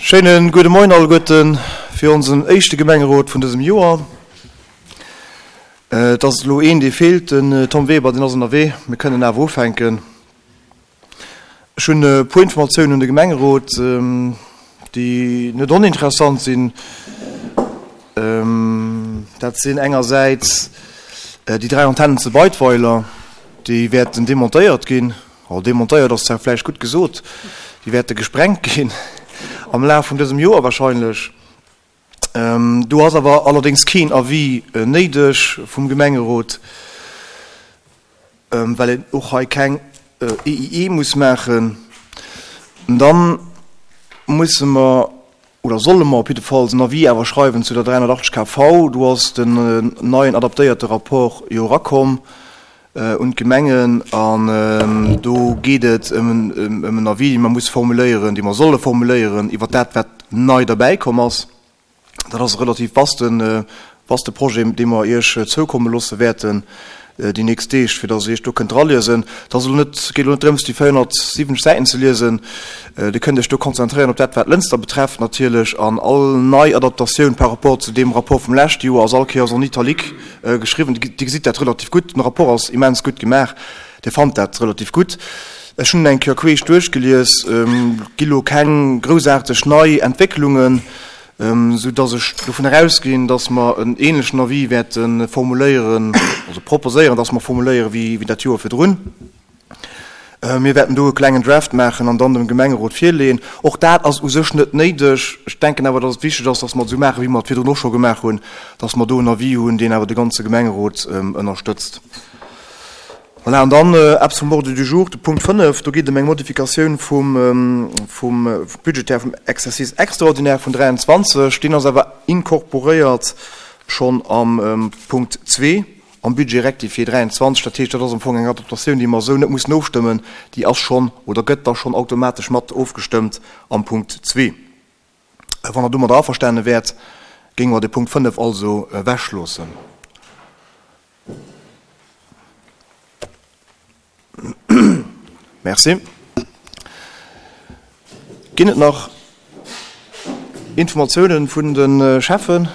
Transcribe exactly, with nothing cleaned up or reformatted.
Schéine gudde Moien alleguerten fir onsen éischte Gemengerot vun dësem Joer. Et ass elo een, dee feelt, den Tom Weber, deen ass ënnerwee. Mir kënnen awer ufänken. Ech hunn e puer Informatiounen un de Gemengerot, déi net oninteressant sinn. Dat sinn engersäits déi dräi Antennen zu Beidweiler, déi wäerten demontéiert ginn. Oh, demontéiert ass zwar vläicht gutt gesot, déi wäerte gesprengt ginn am Laf vun dësem Joer wahrscheinlech. Do ass awer allerdéngs keen Avis néideg vum Gemengerot, well een och hei keng E I E muss maachen. Dann musse mer, oder solle mer op jiddefalls en Avis awer schreiwen zu der dräihonnertachtzeg K V. Do ass den neien adaptéierte Rapport jo erakomm un d'Gemengen an do geet et ëm en Avis, dee mer musse formuléieren, dee mer solle formuléieren iwwer dat, wat nei derbäikomm ass. Dat ass e relativ vaste, vaste Projet, dee mer Iech zoukomme loosse wäerten déi nächst Deeg, fir datt Dir Iech do kënnt draliesen. Et ass elo net, geet elo net drëms, déi véierhonnertsiwwenzeg Säiten ze liesen. Dir kënnt Iech do konzentréieren op dat, wat Lënster betrefft natierlech, an all nei Adaptatioun par rapport zu deem Rapport vum leschte Joer ass all Kéiers en italique geschriwwen. Dir gesitt dat relativ gutt. Den Rapport ass immens gutt gemaach. Dir fannt dat relativ gutt. Ech hunn en eng Kéier queesch duerchgelies. Et gi lo keng groussaarteg nei Entwécklungen, sou dass ech dovun erausginn, dass mer en ähnlechen Avis wäerte formuléieren, also proposéieren, dass mer formuléieren, wéi dat Joer virdrun. Mir wäerten do e klengen Draft maachen an dann dem Gemengerot virleeën. Och dat ass u sech net néideg. Ech denken awer, dass et wichteg ass, dass mer et esou maachen, wéi mer et virdrun och scho gemaach hunn, dass mer do en Avis hunn, deen awer de ganze Gemengerot ënnerstëtzt. Voilà, an dann eppes vum Ordre du jour, de Punkt fënnef, do geet et ëm eng Modifikatioun vum, vum budgétaire vum Exercice extraordinaire vun dräianzwanzeg. Deen ass awer incorporéiert schonn am Punkt zwee am Budget rectifié dräianzwanzeg. Dat heescht, dat ass am Fong eng Adaptatioun, déi mer esou net mussen ofstëmmen. Déi ass schonn oder gëtt da schonn automatesch mat ofgestëmmt am Punkt zwee. Wann Der domadder averstane wäert, géinge mer de Punkt fënnef also ewechloossen. Merci. Ginn et nach Informatiounen vun de Schäffen?